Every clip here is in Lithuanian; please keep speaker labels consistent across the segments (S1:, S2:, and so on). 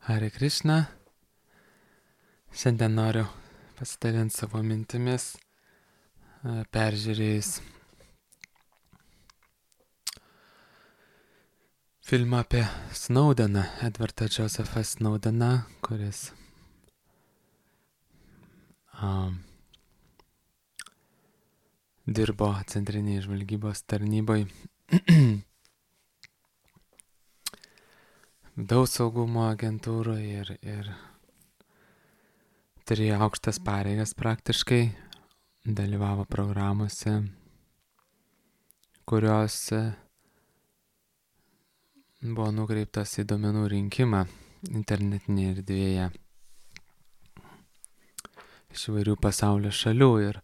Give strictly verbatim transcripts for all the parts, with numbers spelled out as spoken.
S1: Hare Krishna. Šiandien noriu pasidalinti savo mintimis, e, peržiūrėjus filmą apie Snowdeną, Edwardą Josephą Snowdeną, kuris um, dirbo centrinėje žvalgybos tarnyboje vidaus saugumo agentūroje ir, ir turėjo aukštas pareigas praktiškai, dalyvavo programuose, kurios buvo nukreiptas į duomenų rinkimą internetinėje erdvėje iš įvairių pasaulio šalių. Ir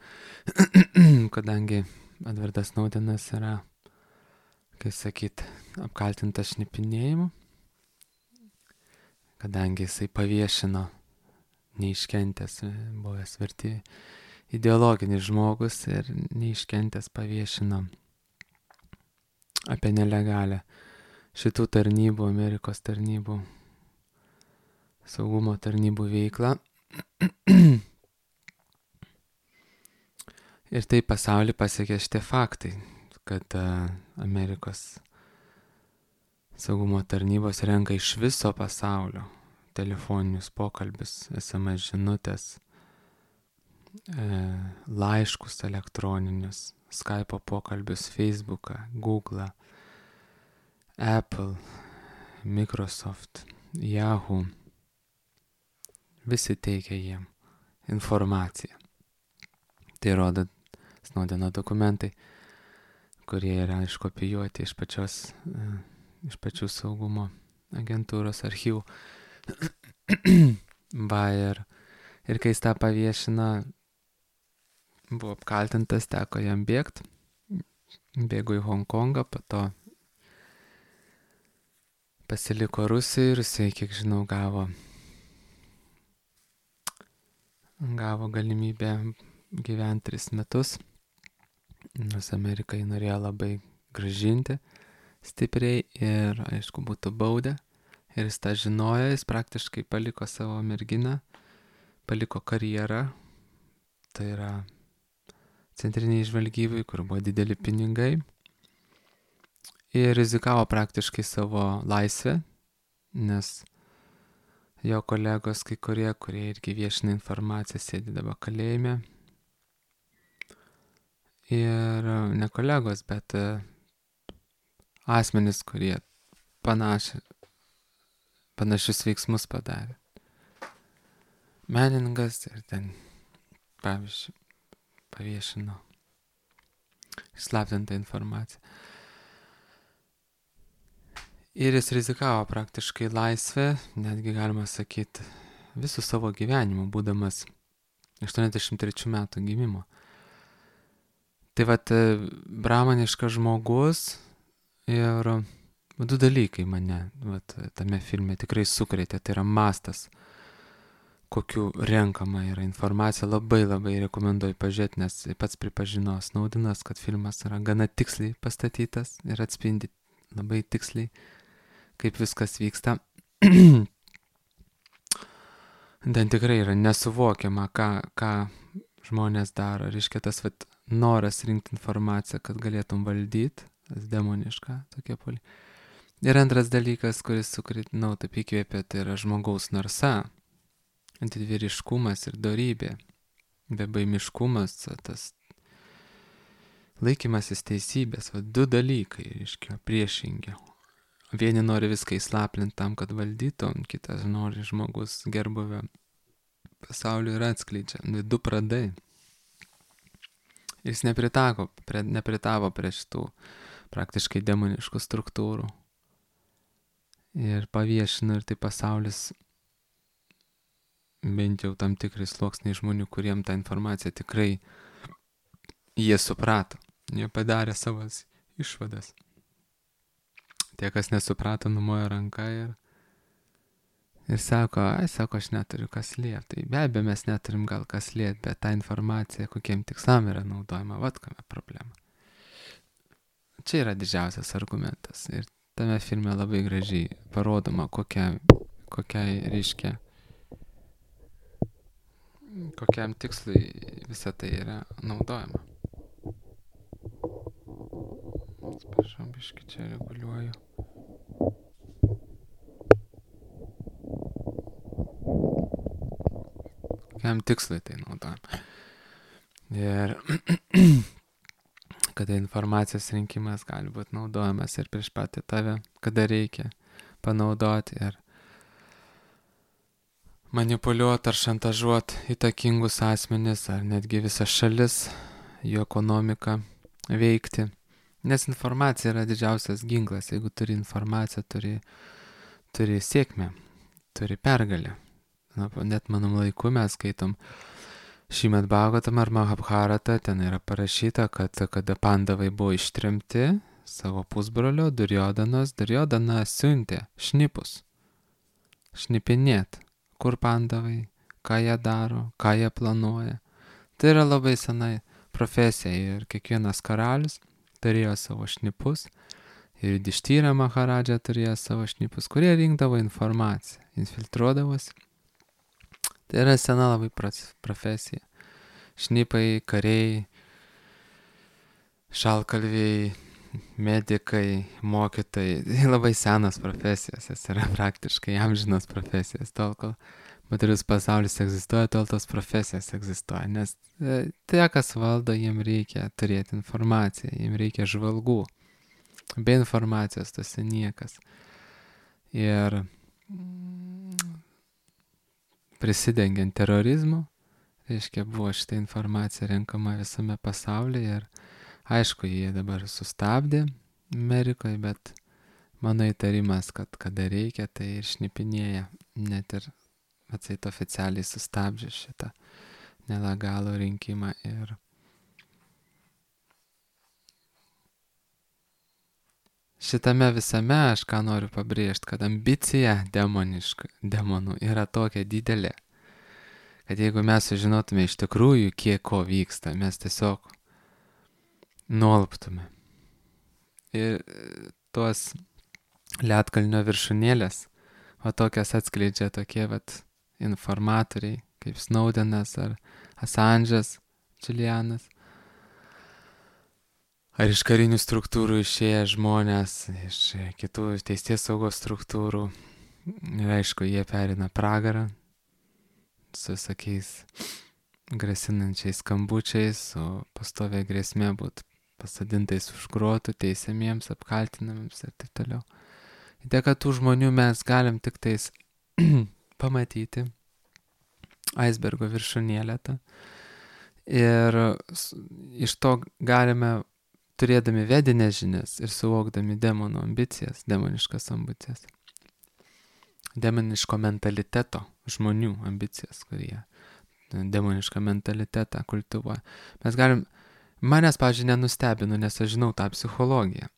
S1: kadangi Edwardas Snowdenas yra, kaip sakyt, apkaltintas šnipinėjimu, kadangi jisai paviešino neiškentęs, buvęs verti ideologinis žmogus ir neiškentęs paviešino apie nelegalią šitų tarnybų, Amerikos tarnybų, saugumo tarnybų veiklą. Ir tai pasaulį pasiekė šitie faktai, kad uh, Amerikos saugumo tarnybos renka iš viso pasaulio telefoninius pokalbius, es em es žinutės, e, laiškus elektroninius, Skype'o pokalbius, Facebooką, Google'ą, Apple, Microsoft, Yahoo. Visi teikia jiem informaciją. Tai rodo Snowdeno dokumentai, kurie yra iškopijuoti iš pačios, e, iš pačių saugumo agentūros archyvų. Va, ir, ir kai jis tą paviešino, buvo apkaltintas, teko jam bėgti. Bėgo į Honkongą, po to pasiliko Rusijoje ir jisai, kiek žinau, gavo, gavo galimybę gyventi tris metus, nors Amerika jį norėjo labai grąžinti stipriai ir, aišku, būtų baudę. Ir jis tą žinojo, jis praktiškai paliko savo merginą, paliko karjerą, tai yra centriniai žvalgybai, kur buvo dideli pinigai, ir rizikavo praktiškai savo laisvę, nes jo kolegos, kai kurie, kurie irgi viešina informaciją, sėdi dabar kalėjime. Ir ne kolegos, bet asmenys, kurie panaši, panašius veiksmus padarė. Menininkas ir ten, pavyzdžiui, paviešino išslaptintą informaciją. Ir jis rizikavo praktiškai laisvę, netgi galima sakyti, visų savo gyvenimą, būdamas aštuoniasdešimt trečių metų gimimo. Tai vat, bramaniškas žmogus ir du dalykai mane vat, tame filme tikrai sukrėtė, tai yra mastas, kokiu renkama yra informacija. Labai labai rekomenduoju pažiūrėti, nes pats pripažino Snowdenas, kad filmas yra gana tiksliai pastatytas ir atspindi labai tiksliai, kaip viskas vyksta. Ten tikrai yra nesuvokiama, ką, ką žmonės daro. Reiškia tas vat, noras rinkti informaciją, kad galėtum valdyti, tas demoniška tokia poli. Ir antras dalykas, kuris sukritinau, taip įkvėpė, tai yra žmogaus narsa, didvyriškumas ir dorybė, bebaimiškumas, tas laikymasis teisybės, va, du dalykai, reiškia, priešingi. Vieni nori viską įslaplinti tam, kad valdytų, kitas nori žmogus gerbuvę pasaulio ir atskleidžia. Du pradai. Jis nepritavo prie, nepritavo prie šitų praktiškai demoniškų struktūrų. Ir paviešino, ir tai pasaulis, bent jau tam tikrai sluoksniai žmonių, kuriem tą informaciją tikrai jie suprato. Jie padarė savas išvadas. Tie, kas nesuprato, numojo ranką ir, ir sako, ai, sako, aš neturiu kas liet. Tai be abejo, mes neturim gal kas liet, bet ta informacija, kokiem tikslam yra naudojama, vat kame problema. Čia yra didžiausias argumentas. Ir tame filme labai gražiai parodoma, kokia, kokiai reiškia, kokiam tikslui visa tai yra naudojama. Atsiprašau, biškį čia reguliuoju. Kokiam tikslui tai naudojama. Ir kada informacijos rinkimas gali būti naudojamas ir prieš patį tave, kada reikia panaudoti ir manipuliuoti ar šantažuoti įtakingus asmenis ar netgi visas šalis, jų ekonomiką veikti. Nes informacija yra didžiausias ginklas. Jeigu turi informaciją, turi, turi sėkmę, turi pergalę. Na, net manam laiku mes skaitom Šrimad Bhagavatam ar Mahabharatą, ten yra parašyta, kad kada pandavai buvo ištremti savo pusbrolio Durjodanos, Duryodana siuntė šnipus, šnipinėt, kur pandavai, ką jie daro, ką jie planuoja. Tai yra labai sena profesija ir kiekvienas karalius turėjo savo šnipus ir Yudhišthira Maharadža turėjo savo šnipus, kurie rinkdavo informaciją, infiltruodavosi. Tai yra sena labai profesija. Šnipai, kariai, šalkalviai, medikai, mokytojai. Tai labai senas profesijos, jis yra praktiškai amžinos profesijos. Tol, kol materialus pasaulis egzistuoja, tol tos profesijos egzistuoja. Nes tie, kas valdo, jiem reikia turėti informaciją, jiem reikia žvalgų. Be informacijos tu esi niekas. Ir prisidengiant terorizmu, reiškia, buvo šitą informaciją renkama visame pasaulyje ir aišku, jie dabar sustabdė Amerikoje, bet mano įtarimas, kad kada reikia, tai ir šnipinėja, net ir atseit oficialiai sustabdžia šitą nelegalų rinkimą. Ir šitame visame aš ką noriu pabrėžti, kad ambicija demoniška, demonų yra tokia didelė, kad jeigu mes sužinotume iš tikrųjų, kiek ko vyksta, mes tiesiog nuolptume. Ir tuos ledkalnio viršūnėlės, o tokias atskleidžia tokie vat informatoriai, kaip Snowdenas ar Assange'as, Julianas. Ar iš karinių struktūrų išėję žmonės, iš kitų teisės saugos struktūrų. Ir aišku, jie perina pragarą su visokiais grasinančiais skambučiais, su pastovia grėsmė būt pasadintais už grotų, teisiamiems, apkaltinamiems ir taip toliau. Ir dėka tų žmonių mes galim tik tais pamatyti aisbergo viršūnėlę tą. Ir iš to galime, turėdami vedinės žinias ir suvokdami demonų ambicijas, demoniškas ambicijas, demoniško mentaliteto žmonių ambicijas, kurie demonišką mentalitetą kultivuoja. Mes galim, manęs, pavyzdžiui, nenustebino, nes aš žinau tą psichologiją.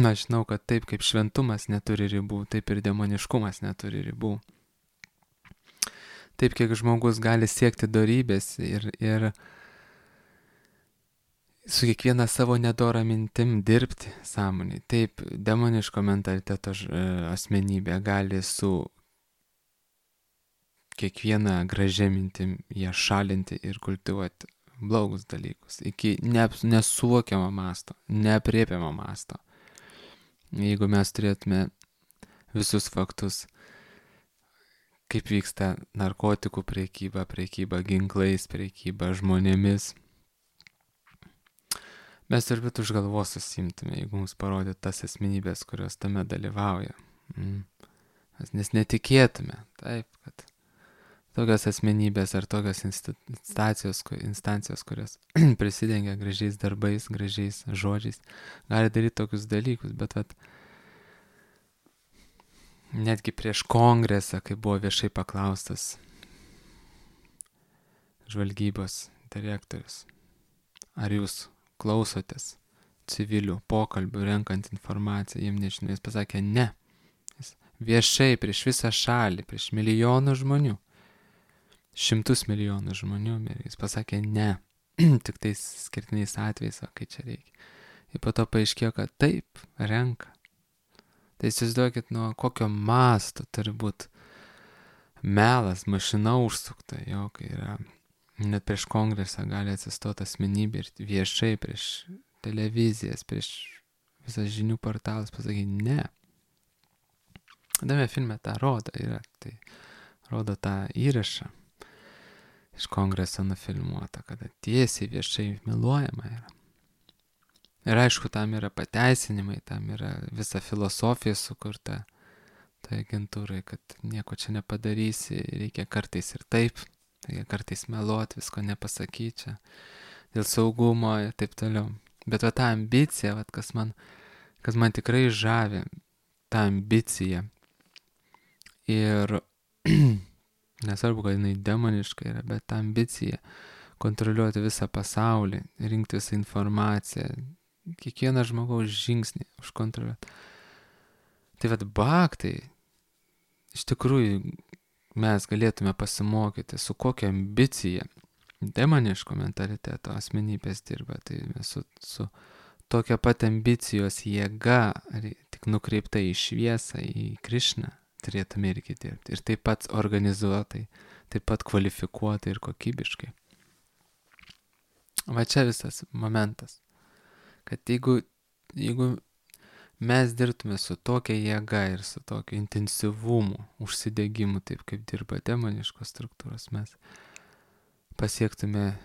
S1: Aš žinau, kad taip kaip šventumas neturi ribų, taip ir demoniškumas neturi ribų. Taip, kiek žmogus gali siekti dorybės ir, ir su kiekviena savo nedora mintim dirbti sąmonį. Taip, demoniško mentaliteto asmenybė gali su kiekviena gražia mintim ją šalinti ir kultivuoti blogus dalykus iki nesuvokiamo masto, neapriepiamo masto. Jeigu mes turėtume visus faktus, kaip vyksta narkotikų prekyba, prekyba ginklais, prekyba žmonėmis, mes turbūt už galvos susimtume, jeigu mums parodytų tas asmenybės, kurios tame dalyvauja. Mm. Nes netikėtume, taip, kad tokios asmenybės ar tokios instancijos, instancijos kurios prisidengia gražiais darbais, gražiais žodžiais, gali daryti tokius dalykus, bet vat, netgi prieš kongresą, kai buvo viešai paklaustas žvalgybos direktorius, ar jūs klausotės civilių pokalbių, renkant informaciją, jiem nežinau, jis pasakė ne. Jis viešai prieš visą šalį, prieš milijonų žmonių, šimtus milijonų žmonių, jis pasakė ne, tik tais skirtiniais atvejais, o kai čia reikia. Ir po to paaiškėjo, kad taip, renka. Tai įsivaizduokit, nuo kokio masto turi būti melas, mašina užsukta, jo, kai yra net prieš kongresą gali atsistoti asmenybė ir viešai prieš televizijas, prieš visas žinių portalas pasakyti ne. Tame filme tą rodo, yra, tai rodo tą įrašą iš kongreso nufilmuota, kada tiesiai viešai meluojama yra. Ir aišku, tam yra pateisinimai, tam yra visa filosofija sukurta tai agentūrai, kad nieko čia nepadarysi, reikia kartais ir taip, reikia kartais meluoti, visko nepasakyti čia, dėl saugumo ir taip toliau. Bet va ta ambicija, va, kas, man, kas man tikrai žavi, ta ambicija. Ir nesvarbu, kad jinai demoniška yra, bet ta ambicija kontroliuoti visą pasaulį, rinkti visą informaciją, kiekvieną žmogaus žingsnį užkontroliuoti. Tai vad baktai, iš tikrųjų mes galėtume pasimokyti, su kokia ambicija demoniško mentaliteto asmenybės dirba. Tai mes su, su tokia pat ambicijos jėga, tik nukreipta į šviesą, į Krišną, turėtume irgi dirbti. Ir taip pat organizuotai, taip pat kvalifikuotai ir kokybiškai. Va čia visas momentas, kad jeigu, jeigu mes dirbtume su tokia jėga ir su tokiu intensyvumu, užsidegimu, taip kaip dirba demoniškos struktūros, mes pasiektume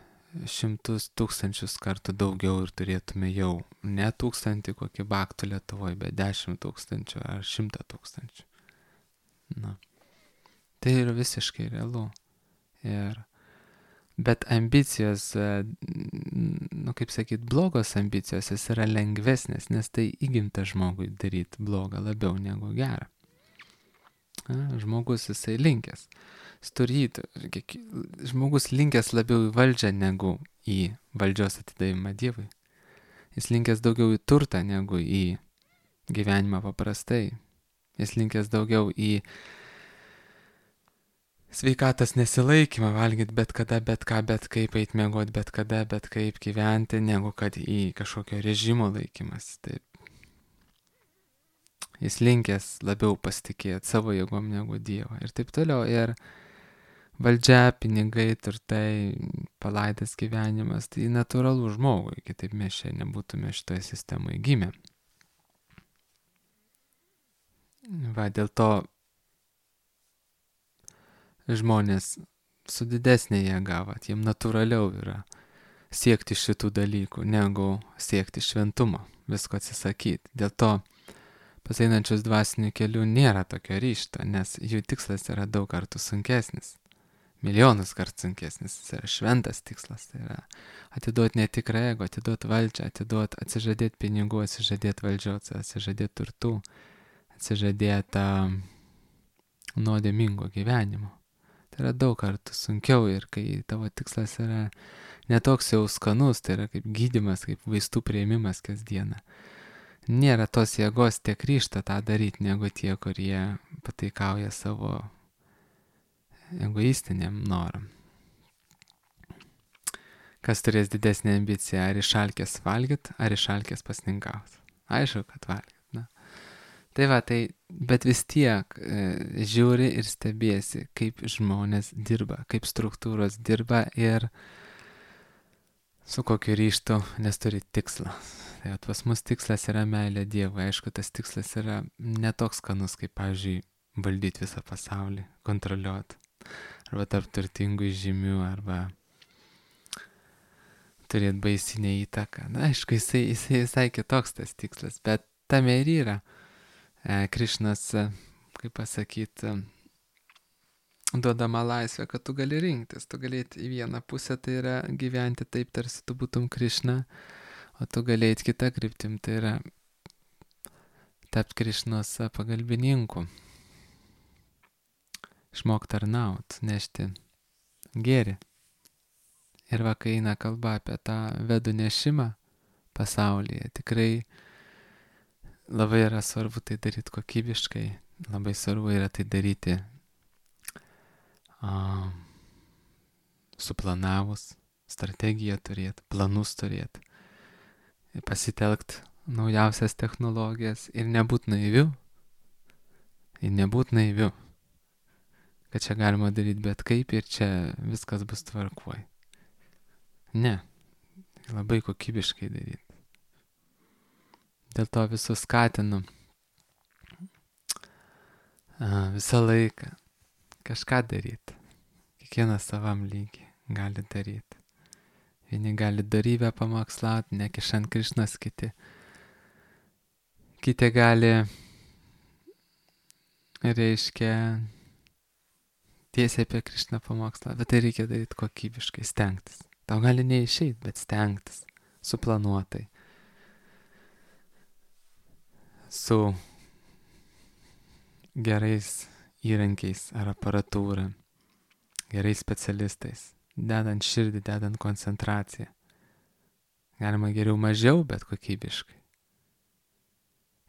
S1: šimtus tūkstančius kartų daugiau ir turėtume jau ne tūkstantį kokį baktų Lietuvoje, bet dešimt tūkstančių ar šimtą tūkstančių. Na, tai yra visiškai realu. Ir bet ambicijos, nu kaip sakyt, blogos ambicijos, jis yra lengvesnės, nes tai įgimta žmogui daryti blogą labiau negu gerą. A, žmogus jisai linkęs. Sturyti, žmogus linkęs labiau į valdžią negu į valdžios atidavimą Dievui. Jis linkęs daugiau į turtą negu į gyvenimą paprastai. Jis linkęs daugiau į sveikatos nesilaikymą, valgyti bet kada, bet ką, bet kaip, eit miegoti bet kada, bet kaip gyventi, negu kad į kažkokio režimo laikymas. Taip. Jis linkęs labiau pasitikėti savo jėgom negu Dievo ir taip toliau. Ir valdžia, pinigai, turtai, palaidas gyvenimas, tai natūralu žmogui, kitaip mes čia nebūtume šitoje sistemoje gimę. Va, dėl to žmonės su didesnė jėga, va, jiem natūraliau yra siekti šitų dalykų, negu siekti šventumo, visko atsisakyti. Dėl to pas einančius dvasinių kelių nėra tokio ryžto, nes jų tikslas yra daug kartų sunkesnis. Milijonus kartų sunkesnis, jis yra šventas tikslas, tai yra atiduoti netikrą ego, atiduoti valdžią, atiduoti, atsižadėti pinigų, atsižadėti valdžios, atsižadėti turtų, atsižadėti uh, nuodėmingo gyvenimo. Tai yra daug kartų sunkiau ir kai tavo tikslas yra netoks jau skanus, tai yra kaip gydymas, kaip vaistų priėmimas kasdieną. Nėra tos jėgos tiek ryžto tą daryti, negu tie, kurie pataikauja savo egoistiniam noram. Kas turės didesnį ambiciją, ar išalkęs valgyt, ar išalkęs pasninkauti? Aišku, kad valgyt. Na. Tai va, tai, bet vis tiek e, žiūri ir stebėsi, kaip žmonės dirba, kaip struktūros dirba ir su kokiu ryžtu, nes turi tikslą. Tai pas mus tikslas yra meilė Dievui. Aišku, tas tikslas yra netoks skanus, kaip, pavyzdžiui, valdyti visą pasaulį, kontroliuoti. Arba tarp turtingų žymių, arba turėti baisinę įtaką. Na, aišku, jisai, jisai visai kitoks tas tikslas, bet tame ir yra. E, Krišnas, kaip pasakyti, duodama laisvę, kad tu gali rinktis. Tu galėti į vieną pusę, tai yra gyventi taip, tarsi tu būtum Krišna, o tu galėti kitą kryptim, tai yra tapti Krišnos pagalbininku. Išmok tarnaut, nešti gėrį. Ir va, kai eina kalba apie tą vedų nešimą pasaulyje, tikrai labai yra svarbu tai daryti kokybiškai, labai svarbu yra tai daryti a, suplanavus, strategiją turėti, planus turėti, pasitelkti naujausias technologijas ir nebūt naiviu, ir nebūt naiviu, kad čia galima daryti bet kaip ir čia viskas bus tvarkoj. Ne, labai kokybiškai daryti. Dėl to visus skatinu a, visą laiką kažką daryti. Kiekvienas savam lygiai gali daryti. Vieni gali darybę pamokslauti, nekišant Krišnos, kiti. Kiti gali, reiškia, tiesiai apie Krišną pamokslauti, bet tai reikia daryti kokybiškai, stengtis. Tau gali neišeiti, bet stengtis, suplanuotai. Su gerais įrankiais ar aparatūra, gerais specialistais, dedant širdį, dedant koncentraciją. Galima geriau mažiau, bet kokybiškai.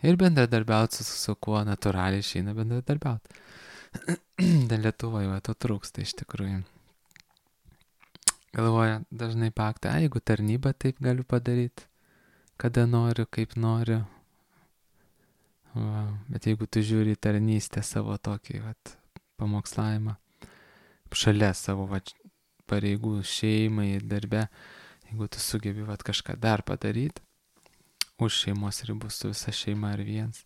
S1: Ir bendradarbiauti su, su kuo natūraliai išeina bendradarbiauti. Dar Lietuvoje va, to trūksta iš tikrųjų. Galvoja dažnai paktą, jeigu tarnybą taip galiu padaryti, kada noriu, kaip noriu. Va, bet jeigu tu žiūri tarnystę savo tokį vat, pamokslavimą, šalia savo vat, pareigų šeimai ir darbe, jeigu tu sugebi vat, kažką dar padaryti, už šeimos ribų su visa šeima ar viens,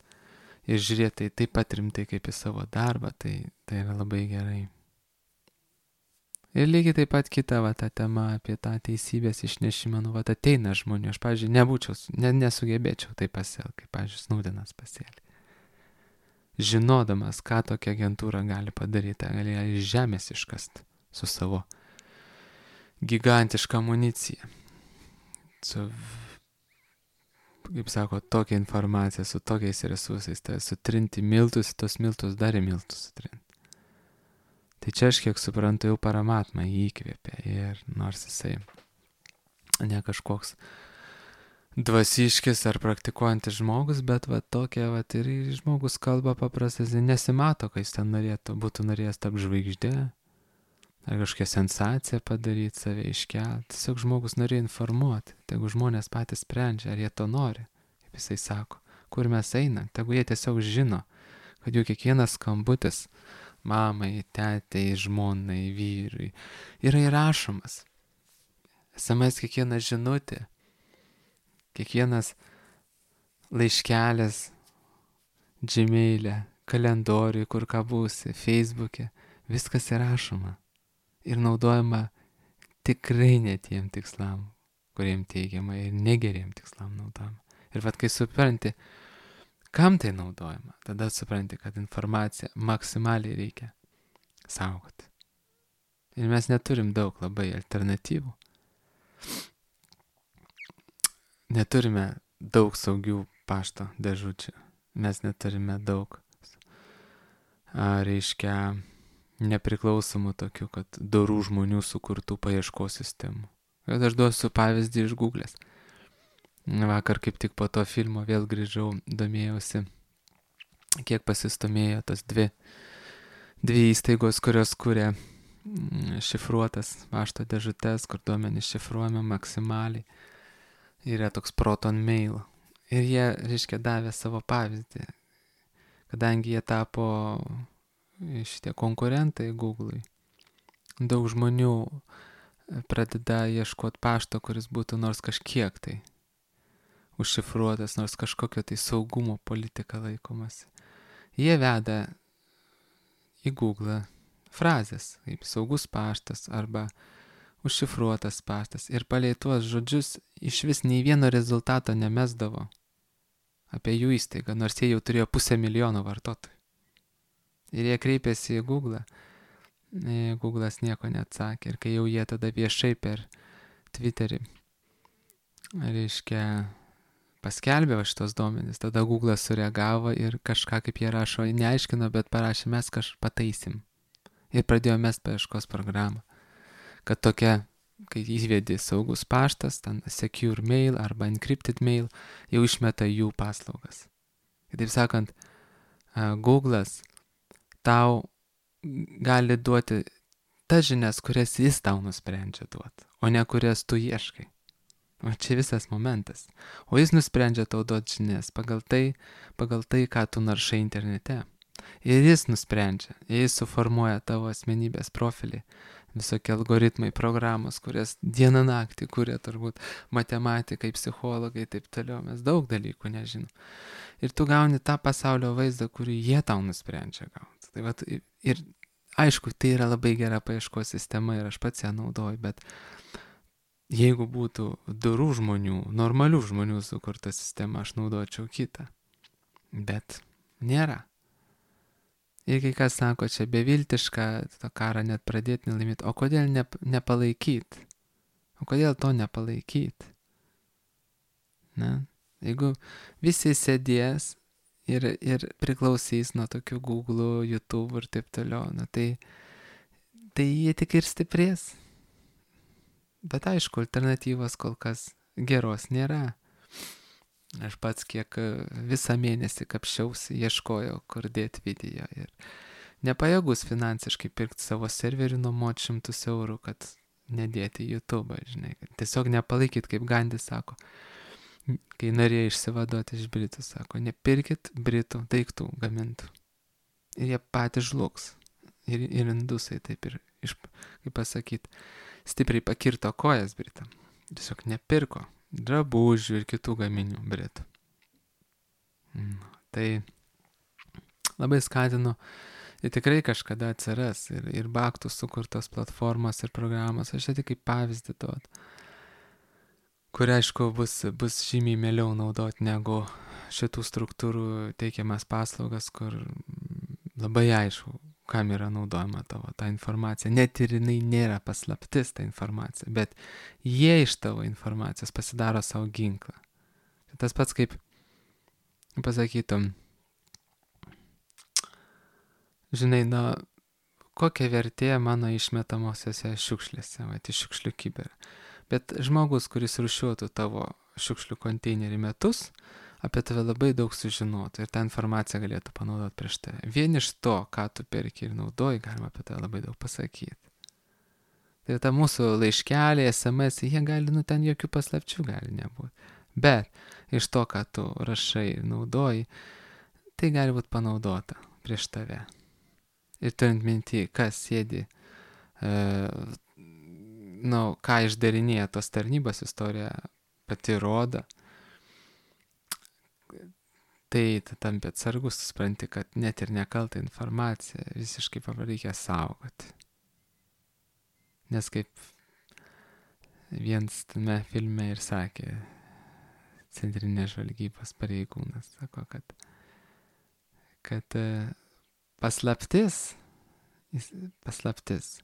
S1: ir žiūrėti tai taip pat rimtai kaip į savo darbą, tai, tai yra labai gerai. Ir lygiai taip pat kita va, ta tema apie tą teisybės išnešimą, nu, va, ateina žmonių, aš, pavyzdžiui, nebūčiau, ne, nesugebėčiau taip pasielgti, kaip, pavyzdžiui, Snaudenas pasielgė. Žinodamas, ką tokia agentūra gali padaryti, gali ją iš žemės iškasti su savo gigantiška amunicija, su, kaip sako, tokia informacija, su tokiais resursais, tai sutrinti miltus, tos miltus dar į miltus sutrinti. Tai čia aš kiek suprantu jau Paramatma jį įkvėpė ir nors jisai ne kažkoks dvasiškis ar praktikuojantis žmogus, bet va tokia va ir žmogus kalba paprastai, nesimato, kai jis ten norėtų, būtų norėjęs tapti žvaigždė ar kažkokią sensaciją padaryti, save iškelti. Tiesiog žmogus norėjo informuoti, tegu žmonės patys sprendžia, ar jie to nori, kaip jisai sako, kur mes einam, tegu jie tiesiog žino, kad jų kiekvienas skambutis mamai, tetei, žmonai, vyrui yra įrašomas. es em es kiekviena žinutė, kiekvienas laiškelis, Gmail'e, kalendoriui, kur ką būsi, Facebook'e, viskas įrašoma ir naudojama tikrai ne tiem tikslam, kuriem teigiama, ir negeriem tikslam naudojama. Ir vat kai supranti, kam tai naudojama, tada supranti, kad informaciją maksimaliai reikia saugoti. Ir mes neturim daug labai alternatyvų. Neturime daug saugių pašto dėžučių. Mes neturime daug, a, reiškia, nepriklausomų tokių, kad dorų žmonių sukurtų paieškos sistemų. Bet aš duosiu pavyzdį iš Google'ės. Vakar kaip tik po to filmo vėl grįžau, domėjausi, kiek pasistumėjo tas dvi, dvi įstaigos, kurios kuria šifruotas pašto dėžutes, kur duomenys šifruojami maksimaliai. Yra toks Proton Mail. Ir jie, reiškia, davė savo pavyzdį, kadangi jie tapo šitie konkurentai Google'ui. Daug žmonių pradeda ieškoti pašto, kuris būtų nors kažkiek tai užšifruotas, nors kažkokio tai saugumo politika laikomasi. Jie veda į Google frazės, kaip saugus paštas arba užšifruotas paštas. Ir palei tuos žodžius iš vis nei vieno rezultato nemesdavo apie jų įstaigą, nors jie jau turėjo pusę milijono vartotojų. Ir jie kreipėsi į Google, Google'as nieko neatsakė. Ir kai jau jie tada viešai per Twitterį, reiškia, paskelbė šitos duomenys, tada Google'as sureagavo ir kažką, kaip jie rašo, neaiškino, bet parašė, mes kažką pataisim. Ir pradėjo mest paieškos programą, kad tokia, kai įvedi saugus paštas, ten secure mail arba encrypted mail, jau išmeta jų paslaugas. Kitaip sakant, Google'as tau gali duoti tas žinias, kurias jis tau nusprendžia duoti, o ne kurias tu ieškai. O čia visas momentas. O jis nusprendžia tau duoti žinias pagal tai, pagal tai, ką tu naršai internete. Ir jis nusprendžia, jis suformuoja tavo asmenybės profilį, visokie algoritmai, programos, kurias dieną naktį kuria turbūt matematikai, psichologai, taip toliau, mes daug dalykų nežinom. Ir tu gauni tą pasaulio vaizdą, kurį jie tau nusprendžia gauti. Tai vat, ir aišku, tai yra labai gera paieškos sistema ir aš pats ją naudoju, bet jeigu būtų dorų žmonių, normalių žmonių sukurta sistema, aš naudočiau kitą. Bet nėra. Ir kai kas sako, čia beviltiška, to karą net pradėti nelaimėti. O kodėl ne, nepalaikyti? O kodėl to nepalaikyti? Na, jeigu visi sėdės ir, ir priklausys nuo tokių Google, YouTube ir taip toliau, na, tai, tai jie tik ir stiprės. Bet aišku, alternatyvos kol kas geros nėra. Aš pats kiek visą mėnesį kapščiausi, ieškojau, kur dėti video ir nepajėgus finansiškai pirkti savo serverį nuomot šimtus eurų, kad nedėti į YouTube, žinai. Tiesiog nepalaikyti, kaip Gandhi sako, kai norėjo išsivaduoti iš Britų, sako, nepirkit Britų daiktų gamintų. Ir jie patys žlugs. Ir, ir indusai taip ir, iš, kaip pasakyti, stipriai pakirto kojas Britam. Tiesiog nepirko drabužių ir kitų gaminių Britų. Tai labai skatinu, ir tikrai kažkada atsiras ir, ir Baktų sukurtos platformos ir programos, aš tai kaip pavyzdį duot, kur aišku bus, bus žymiai mieliau naudoti negu šitų struktūrų teikiamas paslaugas, kur labai aišku, kam yra naudojama tavo ta informacija. Net ir jinai nėra paslaptis ta informacija, bet jie iš tavo informacijos pasidaro savo ginklą. Tas pats kaip pasakytum, žinai, na, kokia vertė mano išmetamosiose šiukšlėse, va, iš šiukšlių kibirą. Bet žmogus, kuris rūšiuotų tavo šiukšlių konteinerį metus, apie tave labai daug sužinotų ir tą informaciją galėtų panaudoti prieš tave. Vien iš to, ką tu perki ir naudoji, galima apie tave labai daug pasakyti. Tai ta mūsų laiškeliai, es em es, jie gali, nu ten jokių paslapčių gali nebūti. Bet iš to, ką tu rašai ir naudoji, tai gali būti panaudota prieš tave. Ir turint minti, kas sėdi, e, nu, ką išdarinėja tos tarnybos, istorija pati rodo, tai tampi atsargus, supranti, kad net ir nekaltą informaciją visiškai reikia saugoti. Nes kaip vienas tame filme ir sakė centrinės žvalgybos pareigūnas, sako, kad, kad paslaptis, paslaptis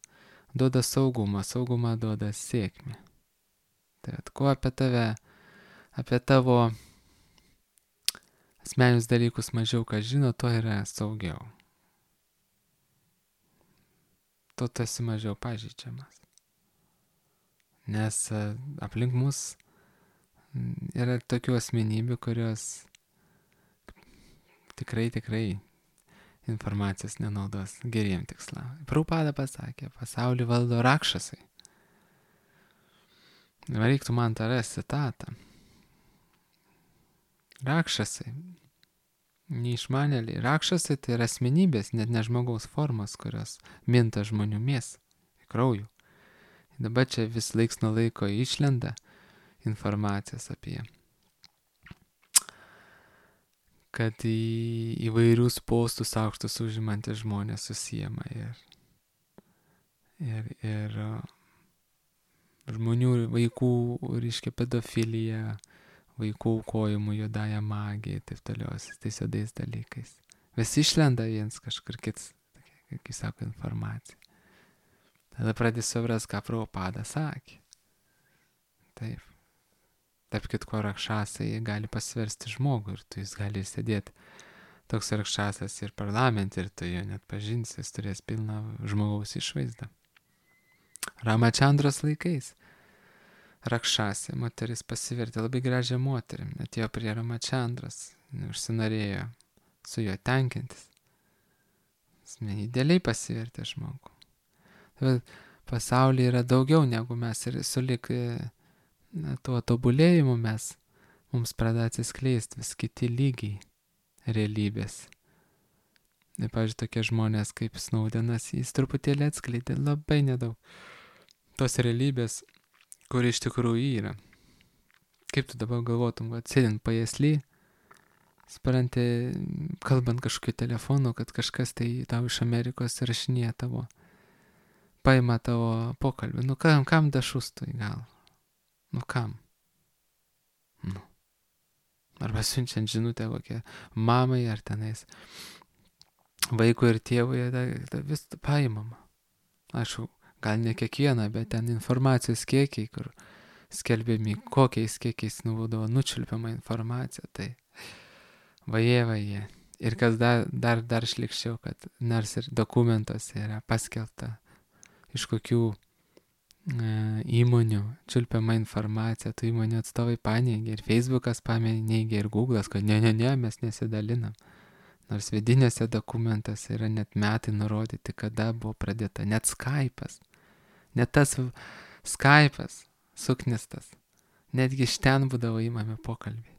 S1: duoda saugumą, saugumą duoda sėkmę. Tai at, kuo apie tave, apie tavo asmeninius dalykus mažiau ką žino, to yra saugiau. To tu esi mažiau pažeidžiamas. Nes aplink mus yra tokių asmenybių, kurios tikrai, tikrai informacijos nenaudos geriem tikslam. Prabhupada pasakė, pasaulį valdo rakšasai. Reiktų man tą rasti citatą. Rakšasai, neišmanėliai. Rakšasai tai yra asmenybės, net ne žmogaus formos, kurios minta žmonių mėsą, kraujų. Dabar čia vis laiks nuo laiko išlenda informacijos apie, kad į įvairius postus aukštus užimantys žmonės susijama ir, ir, ir žmonių, vaikų, reiškia, pedofilija, vaikų aukojimų, juodąją magiją, taip toliau, tais juodais dalykais. Vis išlenda viens kažkur kits, kaip sako, informacija. Tada pradės supras, ką Prabhupada sakė. Taip. Taip, kitko rakšasai gali pasversti žmogų ir tu jis gali sėdėti toks rakšasas ir parlamente ir tu jo net pažinsi, jis turės pilną žmogaus išvaizdą. Ramačandros laikais rakšasė, moteris pasivertė labai gražią moterį, atėjo prie Ramačandros, užsinorėjo su juo tenkintis. Jis idealiai pasivertė žmogų. Tai pasaulyje yra daugiau negu mes ir sulik na, tuo tobulėjimu mes, mums pradeda atsiskleisti vis kiti lygiai realybės. Ir, pavyzdžiui, tokie žmonės kaip Snowdenas, jis truputėlį atskleidė labai nedaug tos realybės, kur iš tikrųjų yra. Kaip tu dabar galvotum, kad sėdint pajėsly, supranti, kalbant kažkokiu telefonu, kad kažkas tai tau iš Amerikos rašinėja tavo, paima tavo pokalbį. Nu kam, kam dašustų į galvą? Nu kam? Nu. Arba siunčiant žinutę kokią mamai ar tenais vaikui ir tėvui, ta, ta vis paimama. Aišku, gal ne kiekvieną, bet ten informacijos kiekiai, kur skelbiami, kokiais kiekiais nuvaudavo nučiulpiama informacija, tai vaje, vaje. Ir kas dar, dar, dar šlikščiau, kad nors ir dokumentuose yra paskelbta, iš kokių e, įmonių čiulpiama informacija, tų įmonių atstovai paneigia, ir Facebookas paneigia, ir Google'as, kad ne, ne, ne, mes nesidalinam. Nors vidinėse dokumentuose yra net metai nurodyti, kada buvo pradėta. Net Skype'as. Net tas Skype'as suknistas. Netgi iš ten būdavo įmami pokalbiai.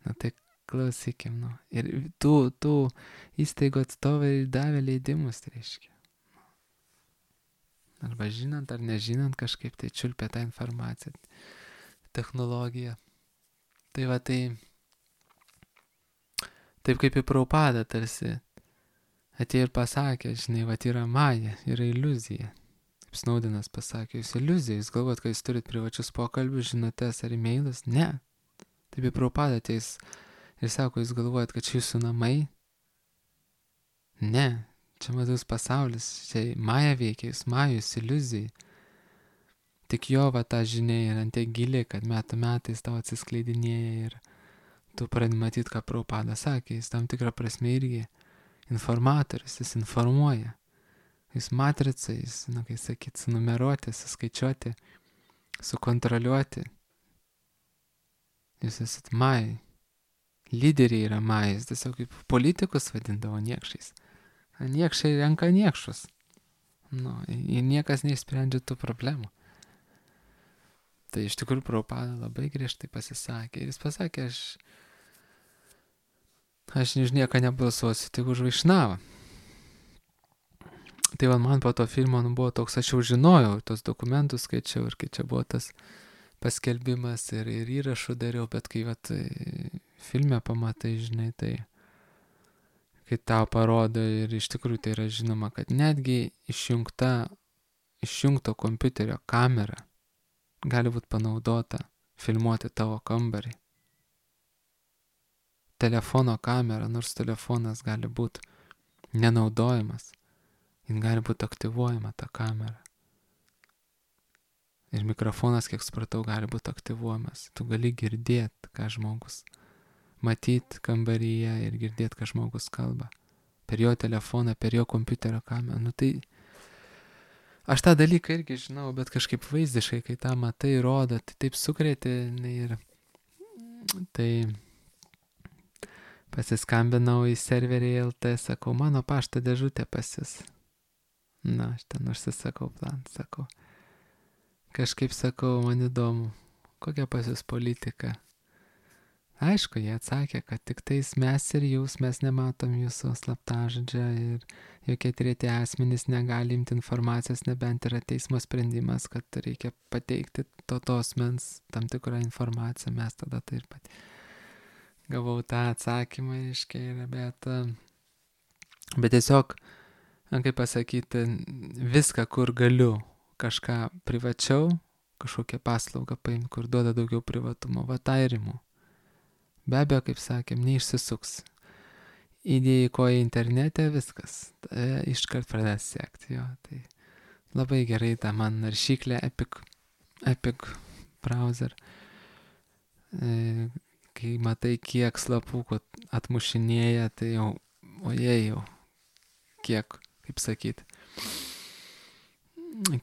S1: Na tai klausykim, nu. Ir tų, tų įstaigų atstovai davė leidimus, tai reiškia. Arba žinant ar nežinant kažkaip tai čiulpia tą informaciją, technologiją. Tai va tai... Taip kaip į Prabhupadą tarsi atėjo ir pasakė, žinai, va yra maja, yra iliuzija. Kaip Snowdenas pasakė, jūs iliuzija, jūs galvojat, kad jūs turit privačius pokalbius, žinutės ar e-mailus? Ne. Taip į Prabhupadą ateis ir sako, jūs galvojat, kad čia jūsų namai? Ne. Čia matus pasaulis, čia maja veikia, jūs majus, iliuzija. Tik jo va ta žinia yra ant tiek giliai, kad metų metais tau atsiskleidinėja ir tu pradedi matyti, ką Prabhupada sakė, jis tam tikrą prasme irgi informatorius, jis informuoja. Jis matrica, jis, na, kai sakyt, sunumeruoti, suskaičiuoti, sukontroliuoti. Jūs esat majai. Lyderiai yra majai, jis tiesiog kaip politikus vadindavo niekšais. Niekšai renka niekšus. Nu, ir niekas neišsprendžia tų problemų. Tai iš tikrųjų Prabhupada labai griežtai pasisakė. Ir jis pasakė, aš Aš už nieką nebalsuosiu, tik už Vaišnavą. Tai va, man po to filmo nu, buvo toks, aš jau žinojau, tos dokumentus skaičiau ir kai čia buvo tas paskelbimas ir, ir įrašų dariau, bet kai va, filme pamatai, žinai, tai kai tau parodo ir iš tikrųjų tai yra žinoma, kad netgi išjungta, išjungto kompiuterio kamera gali būti panaudota filmuoti tavo kambarį. Telefono kamera, nors telefonas gali būti nenaudojamas, jin gali būti aktyvuojama ta kamera. Ir mikrofonas, kiek supratau, gali būti aktyvuojamas. Tu gali girdėti, ką žmogus, matyti kambaryje ir girdėti, ką žmogus kalba. Per jo telefoną, per jo kompiuterio kamerą. Nu tai aš tą dalyką irgi žinau, bet kažkaip vaizdiškai, kai tą matai, rodo, tai taip sukrėtė ir tai pasiskambinau į serverį L T, sakau, mano pašto dėžutė pas jus. Na, aš ten užsisakau plan, sakau. Kažkaip sakau, man įdomu, kokia pas jūs politika. Aišku, jie atsakė, kad tik tais mes ir jūs, mes nematom jūsų slaptažodžio ir jokie treti asmenys negali imti informacijos, nebent yra teismo sprendimas, kad reikia pateikti to tos mens tam tikrą informaciją, mes tada tai ir pat. Gavau tą atsakymą, iškiai, bet, bet tiesiog, kaip pasakyti, viską, kur galiu kažką privačiau, kažkokią paslaugą paimti, kur duoda daugiau privatumo, va tą ir imu. Be abejo, kaip sakėm, neišsisuks. Įdėjai koją internete, viskas, tai iškart pradės sekti, jo, tai labai gerai ta man naršyklė Epic, Epic browser. E, kai matai, kiek slapukų atmušinėja, tai jau, oje jau, kiek, kaip sakyti,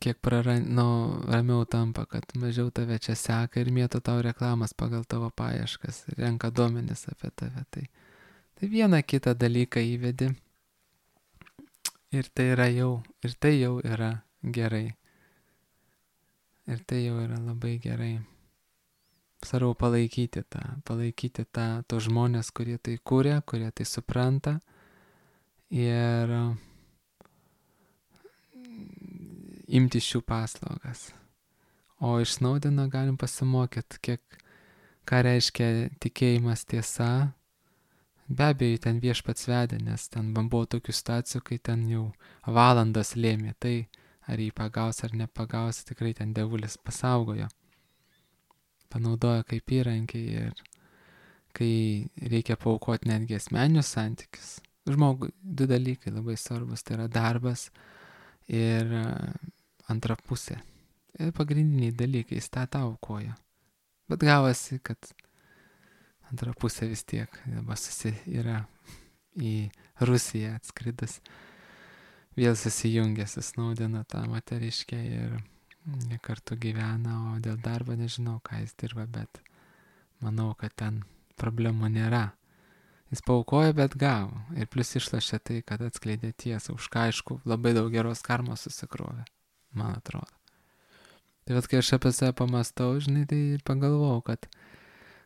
S1: kiek praran, nu, ramiau tampa, kad mažiau tave čia seka ir mėto tau reklamas pagal tavo paieškas, renka duomenis apie tave. Tai, tai vieną kitą dalyką įvedi ir tai yra jau, ir tai jau yra gerai. Ir tai jau yra labai gerai. Svarbu palaikyti tą, palaikyti tą, tos žmonės, kurie tai kūrė, kurie tai supranta ir imti šių paslaugas. O iš Snaudeno galim pasimokyti, kiek, ką reiškia tikėjimas tiesa. Be abejo, ten viešpats vedė, nes ten buvo tokių situacijų, kai ten jau valandas lėmė tai, ar jį pagaus ar nepagaus, tikrai ten dievulis pasaugojo. Panaudojo kaip įrankį ir kai reikia paaukoti netgi asmeninius santykius. Žmogui du dalykai labai svarbus, tai yra darbas ir antra pusė. Ir pagrindiniai dalykai, jis tą tau aukoja. Bet gavosi, kad antra pusė vis tiek dabar susi yra į Rusiją atskridus. Vėl susijungė su Snaudenu tą moteriškę ir jie kartu gyvena, o dėl darbo nežinau, ką jis dirba, bet manau, kad ten problemų nėra. Jis paaukojo, bet gavo. Ir plus išlašė tai, kad atskleidė tiesą, už ką aišku labai daug geros karmos susikrovė, man atrodo. Tai vat, kai aš apie save pamastau, žinai, tai ir pagalvojau, kad,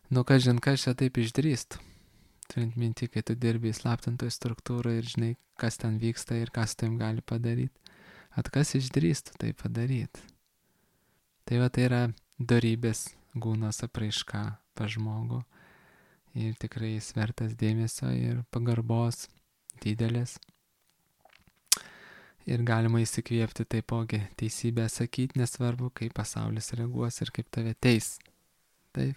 S1: nu, kažin, kas čia taip išdrįstų. Turint minti, kai tu dirbi įslaptintoje struktūroje ir žinai, kas ten vyksta ir kas tu jam gali padaryti. At kas išdrįstų tai padaryti. Tai va, tai yra dorybės gūnos apraiška pas žmogų. Ir tikrai jis vertas dėmesio ir pagarbos didelės. Ir galima įsikvėpti taipogi teisybę sakyti, nesvarbu, kaip pasaulis reaguos ir kaip tave teis. Taip,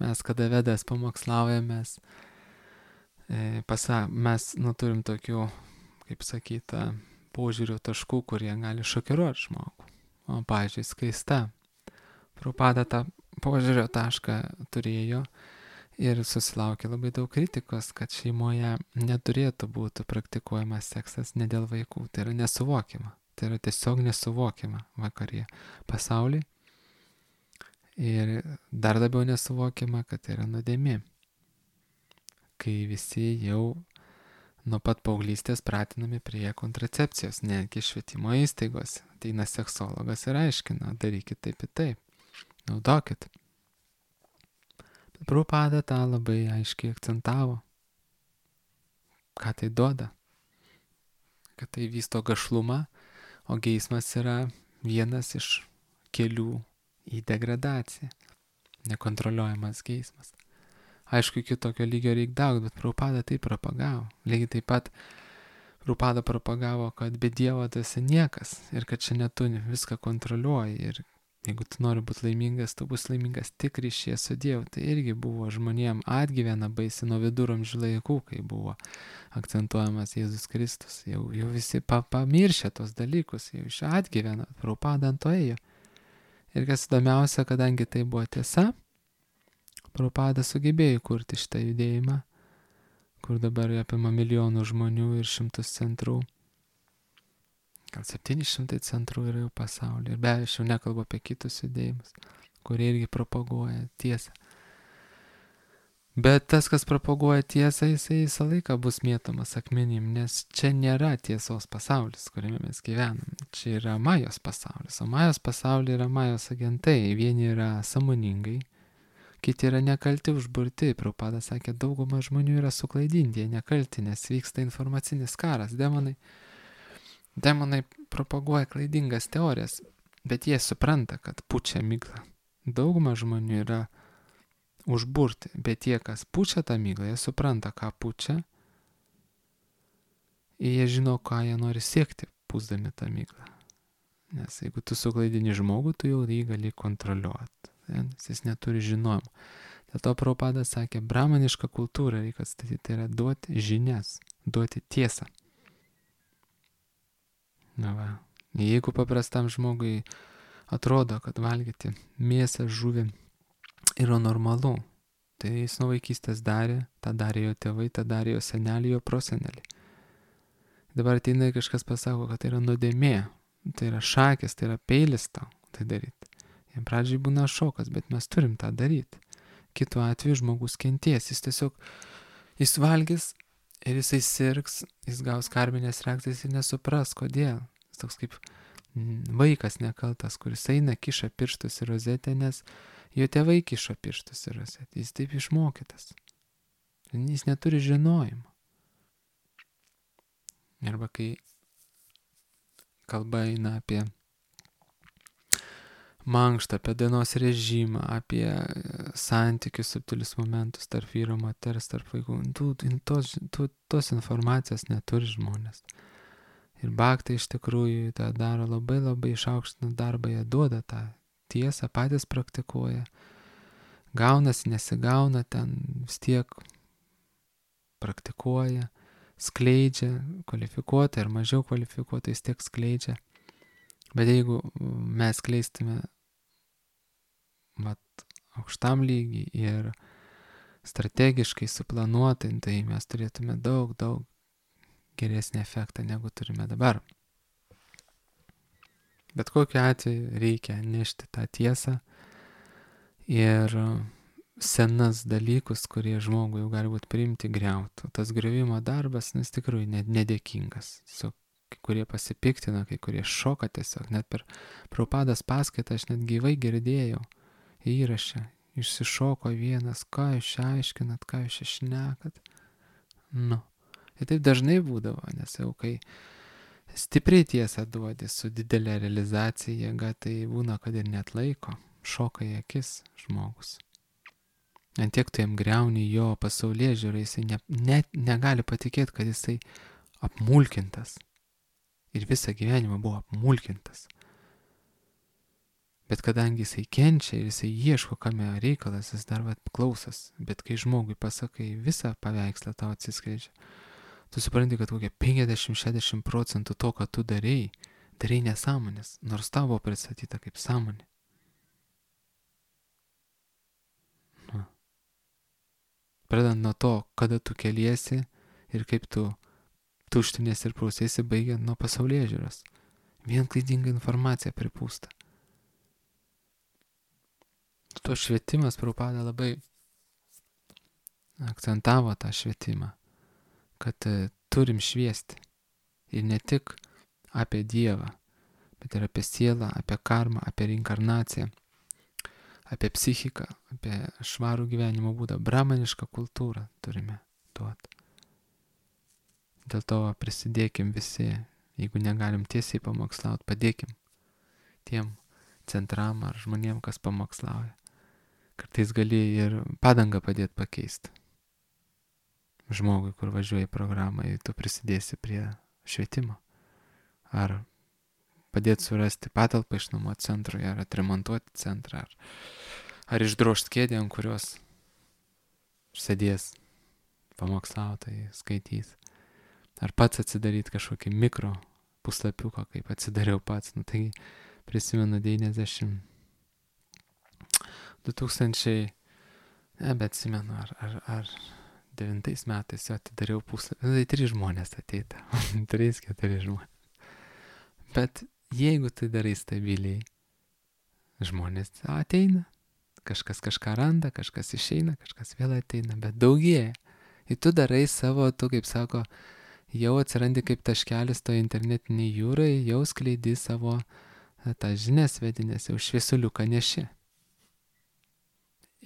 S1: mes kada vedas pamokslaujamės, e, pasa, mes nu, turim tokių, kaip sakyta, požiūrių taškų, kurie gali šokiruoti žmogų. O, pavyzdžiui, Skaista Prabhupada tą požiūrio tašką turėjo ir susilaukė labai daug kritikos, kad šeimoje neturėtų būti praktikuojamas seksas ne dėl vaikų. Tai yra nesuvokiama. Tai yra tiesiog nesuvokiama vakarėje pasaulyje. Ir dar labiau nesuvokiama, kad tai yra nuodėmė. Kai visi jau nuo pat paauglystės pratinami prie kontracepcijos, netgi švietimo įstaigose. Ateina seksologas ir aiškina, darykit taip ir taip, naudokit. Prabhupada tą labai aiškiai akcentavo. Ką tai duoda? Kad tai vysto gašlumą, o geismas yra vienas iš kelių į degradaciją. Nekontroliuojamas geismas. Aišku, iki tokio lygio reikia daug, bet Prabhupada tai propagavo. Lygiai taip pat Prabhupada propagavo, kad be Dievo tu esi niekas ir kad šiandien tu viską kontroliuoji ir jeigu tu nori būti laimingas, tu bus laimingas tik ryšyje su Dievu. Tai irgi buvo žmonėm atgyvena baisi nuo viduramžių laikų, kai buvo akcentuojamas Jėzus Kristus. Jau, jau visi pa, pamiršė tos dalykus, jau iš atgyvena, Prabhupada ant to ėjo. Ir kas įdomiausia, kadangi tai buvo tiesa, Prabhupada sugebėjo kurti šitą judėjimą, kur dabar apima milijonų žmonių ir šimtus centrų. Gal septyni šimtai centrų yra jau pasaulyje. Ir be abejo, aš jau nekalbu apie kitus judėjimus, kurie irgi propaguoja tiesą. Bet tas, kas propaguoja tiesą, jisai visą laiką bus mėtomas akmenim, nes čia nėra tiesos pasaulis, kuriame mes gyvenam. Čia yra Majos pasaulis. O Majos pasaulyje yra Majos agentai. Vieni yra sąmoningai, kiti yra nekalti, užburti. Prabhupada sakė, dauguma žmonių yra suklaidinti, jie nekalti, nes vyksta informacinis karas. Demonai Demonai propaguoja klaidingas teorijas, bet jie supranta, kad pučia miglą. Dauguma žmonių yra užburti, bet tie, kas pučia tą miglą, jie supranta, ką pučia, ir jie žino, ką jie nori siekti, pūsdami tą miglą. Nes jeigu tu suklaidini žmogų, tu jau jį gali kontroliuoti, nes jis neturi žinojimo. Dėl to Prabhupada sakė, brahmanišką kultūrą reikia atstatyti, tai yra duoti žinias, duoti tiesą. Na va, jeigu paprastam žmogui atrodo, kad valgyti mėsą, žuvį yra normalu, tai jis nuo vaikystės darė, tą darė jo tėvai, tą darė jo seneliai, jo proseneliai. Dabar ateina kažkas pasako, kad tai yra nuodėmė, tai yra šakės, tai yra peilis tau tai daryti. Jam pradžiai būna šokas, bet mes turim tą daryti. Kitu atveju žmogus kenties, jis tiesiog, jis valgys, ir jisai sirgs, jis gaus karminės reakcijas ir nesupras, kodėl. Jis toks kaip vaikas nekaltas, kuris eina, kiša pirštus į rozetę, nes jo tėvai kiša pirštus į rozetę. Jis taip išmokytas. Jis neturi žinojimo. Arba kai kalba eina apie mankštą, apie dienos režimą, apie santykius, subtilius momentus tarp vyro, moters, tarp vaikų. Tu, tos, tu, tos informacijos neturi žmonės. Ir bhaktai iš tikrųjų tą daro labai labai išaukštinant darbą, jie duoda tą tiesą, patys praktikuoja. Gaunasi, nesigauna, ten vis tiek praktikuoja, skleidžia, kvalifikuotai ar mažiau kvalifikuotai vis tiek skleidžia. Bet jeigu mes skleistume vat, aukštam lygiai ir strategiškai suplanuotai, tai mes turėtume daug, daug geresnį efektą, negu turime dabar. Bet kokiu atveju reikia nešti tą tiesą ir senas dalykus, kurie žmogui jau gali būti priimti, griauti. Tas griovimo darbas, nes tikrai nedėkingas. Su kai kurie pasipiktina, kai kurie šoka tiesiog. Net per Prabhupados paskaitą aš net gyvai girdėjau įrašę. Išsišoko vienas, ką jūs čia aiškinat, ką jūs čia šnekat. Nu. Ir taip dažnai būdavo, nes jau kai stipriai tiesą duodi su didelė realizacija jėga, tai būna, kad ir net laiko. Šoka į akis žmogus. Ant tiek tu jam griauni jo pasaulėžiūrą, jisai ne, net negali patikėti, kad jisai apmulkintas. Ir visą gyvenimą buvo apmulkintas. Bet kadangi jisai kenčia ir jisai ieško, kame reikalas, jis dar vat klausas. Bet kai žmogui pasakai, visą paveikslą tau atsiskleidžia, tu supranti, kad kokia penkiasdešimt šešiasdešimt procentų to, ką tu darei, darei nesąmonės, nors tavo pristatyta kaip sąmonė. Na. Pradant nuo to, kada tu keliesi ir kaip tu tuštinės ir prausėsi, baigiant nuo pasaulėžiūros. Vien klaidinga informacija pripūsta. To švietimas Prabhupada labai akcentavo tą švietimą, kad turim šviesti. Ir ne tik apie Dievą, bet ir apie sielą, apie karmą, apie reinkarnaciją, apie psichiką, apie švarų gyvenimo būdą, brahmanišką kultūrą turime duoti. Dėl to prisidėkim visi, jeigu negalim tiesiai pamokslauti, padėkim tiem centram ar žmonėm, kas pamokslauja. Kartais gali ir padangą padėti pakeisti. Žmogui, kur važiuoja į programą, ir tu prisidėsi prie švietimo. Ar padėti surasti patalpą iš namo centrui, ar atremontuoti centrą, ar, ar išdrožti kėdę, ant kurios sėdės pamokslautojai, skaitys. Ar pats atsidaryti kažkokį mikro puslapiuką, kaip atsidariau pats. Nu, tai prisimenu devyniasdešimt du tūkstančiai, ne, bet atsimenu, ar, ar, ar devintais metais jau atidariau puslapį. Nu, tai trys žmonės ateita. Trys, keturi žmonės. Bet jeigu tai darai stabiliai, žmonės ateina. Kažkas kažką randa, kažkas išeina, kažkas vėl ateina, bet daugėja. Ir tu darai savo, tu kaip sako, jau atsirandi kaip taškelis to internetiniai jūrai, jau skleidi savo tą žinias vedinės, jau šviesuliuką neši.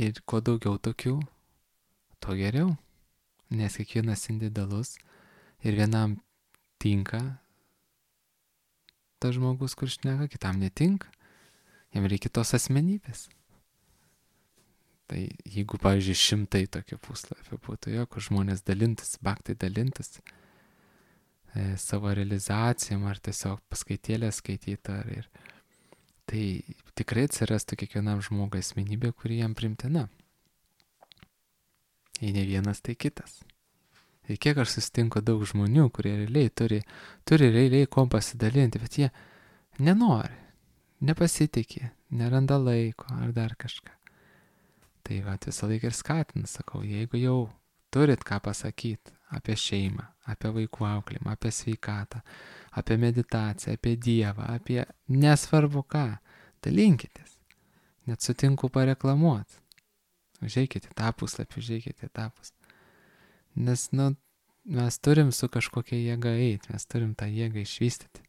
S1: Ir kuo daugiau tokių, tuo geriau. Nes kiekvienas individualus ir vienam tinka tas žmogus, kur šneka, kitam netinka. Jam reikia tos asmenybės. Tai jeigu, pavyzdžiui, šimtai tokių puslapių būtų, jo, kur žmonės dalintas, bhaktai dalintas e, savo realizacijom ar tiesiog paskaitėlę skaitytą. Ir tai tikrai atsirastų kiekvienam žmogui asmenybė, kuri jam primtina. Jei ne vienas, tai kitas. Ir kiek aš susitinku daug žmonių, kurie realiai turi, turi realiai kom pasidalinti, bet jie nenori, nepasitikė, neranda laiko ar dar kažką. Tai va, visą laiką ir skatinu, sakau, jeigu jau turit ką pasakyti apie šeimą, apie vaikų auklėjimą, apie sveikatą, apie meditaciją, apie Dievą, apie nesvarbu ką, dalinkitės. Net sutinku pareklamuoti. Užeikite tą puslapį, užeikite tą puslapį. Nes, nu, mes turim su kažkokia jėga eiti, mes turim tą jėgą išvystyti.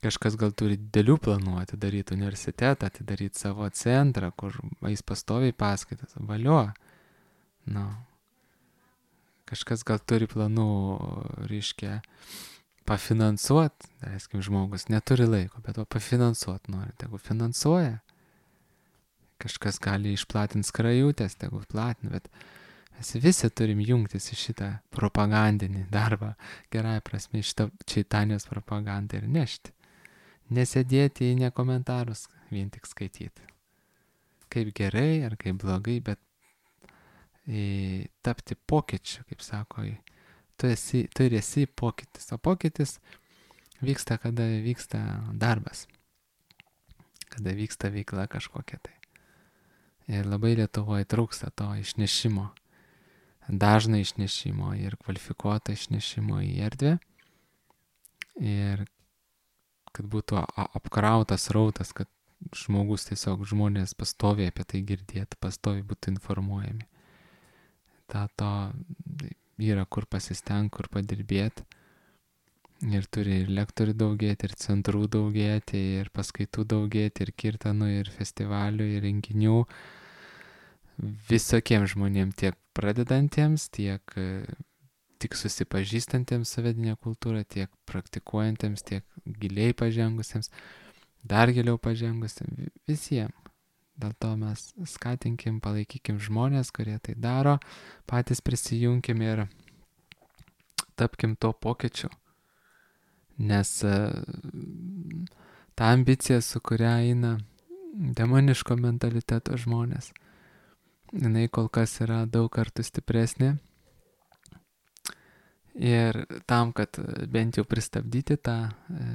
S1: Kažkas gal turi didelių planų, atidaryti universitetą, atidaryti savo centrą, kur eis pastoviai paskaitas, valio. Nu. kažkas gal turi planų, reiškia, pafinansuot, daleiskim, žmogus neturi laiko, bet va pafinansuot nori, tegu finansuoja. Kažkas gali išplatinti skrajutės, tegu platina, bet mes visi turim jungtis į šitą propagandinį darbą, gerai prasme, šitą Čaitanijos propagandą ir nešti. Nesėdėti į nekomentarus, vien tik skaityti. Kaip gerai ar kaip blogai, bet į, tapti pokyčiu, kaip sako, į, tu, esi, tu ir esi pokytis, o pokytis vyksta, kada vyksta darbas, kada vyksta veikla kažkokia tai. Ir labai Lietuvoje trūksta to išnešimo, dažno išnešimo ir kvalifikuoto išnešimo į erdvę. Ir kad būtų apkrautas rautas, kad žmogus tiesiog žmonės pastoviai apie tai girdėtų, pastoviai būtų informuojami. Ta to yra kur pasistengti, kur padirbėti. Ir turi ir lektorių daugėti, ir centrų daugėti, ir paskaitų daugėti, ir kirtanų, ir festivalių, ir renginių. Visokiems žmonėms, tiek pradedantiems, tiek tik susipažįstantiems su vedine kultūra, tiek praktikuojantiems, tiek giliai pažengusiems, dar giliau pažengusiems, visiems. Dėl to mes skatinkim, palaikykim žmonės, kurie tai daro, patys prisijunkim ir tapkim to pokyčiu. Nes ta ambicija, su kuria eina demoniško mentaliteto žmonės, jinai kol kas yra daug kartų stipresnė. Ir tam, kad bent jau pristabdyti tą e,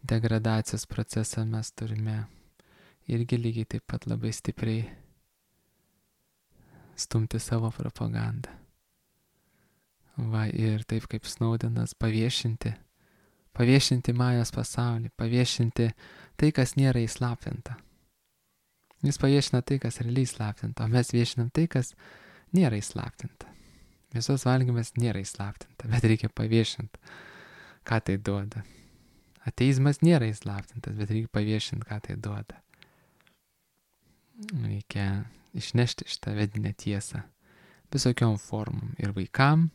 S1: degradacijos procesą, mes turime irgi lygiai taip pat labai stipriai stumti savo propagandą. Va, ir taip kaip Snowdenas paviešinti, paviešinti Majos pasaulį, paviešinti tai, kas nėra įslaptinta. Jis paviešina tai, kas realiai įslaptinta, o mes viešinam tai, kas nėra įslaptinta. Mėsos valgymas nėra įslaptinta, bet reikia paviešinti, ką tai duoda. Ateizmas nėra įslaptintas, bet reikia paviešinti, ką tai duoda. Reikia išnešti šitą vedinę tiesą visokiom formom ir vaikam,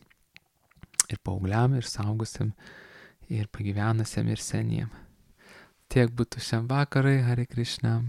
S1: ir paaugliam, ir saugusiam, ir pagyvenusiam, ir seniem. Tiek būtų šiam vakarai, Hare Krishna.